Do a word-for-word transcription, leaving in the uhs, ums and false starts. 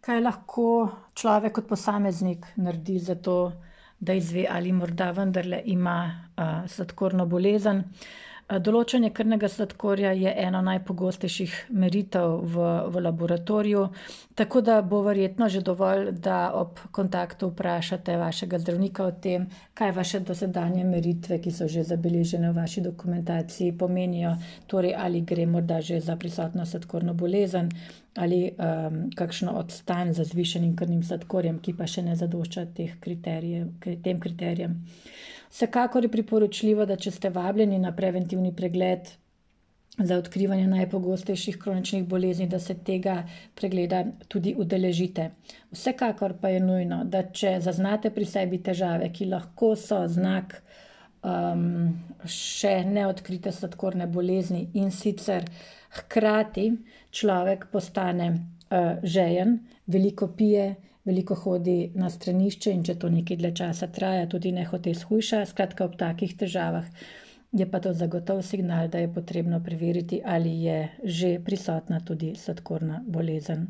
Kaj lahko človek kot posameznik naredi za to, da izve, ali morda vendarle ima uh, sladkorno bolezen? Uh, Določanje krvnega sladkorja je eno najpogostejših meritev v, v laboratoriju, tako da bo verjetno že dovolj, da ob kontaktu vprašate vašega zdravnika o tem, kaj vaše dosedanje meritve, ki so že zabeležene v vaši dokumentaciji, pomenijo, torej ali gre morda že za prisotno sladkorno bolezen ali um, kakšno odstanj za zvišenim krvnim sladkorjem, ki pa še ne zadošča teh kriterijev, tem kriterijem. Vsekakor je priporočljivo, da če ste vabljeni na preventivni pregled za odkrivanje najpogostejših kroničnih bolezni, da se tega pregleda tudi udeležite. Vsekakor pa je nujno, da če zaznate pri sebi težave, ki lahko so znak um, še neodkrite sladkorne bolezni in sicer hkrati človek postane uh, žejen, veliko pije, veliko hodi na stranišče in če to nekaj dlje časa traja, tudi nehote shujša. Skratka, ob takih težavah je pa to zagotov signal, da je potrebno preveriti, ali je že prisotna tudi sladkorna bolezen.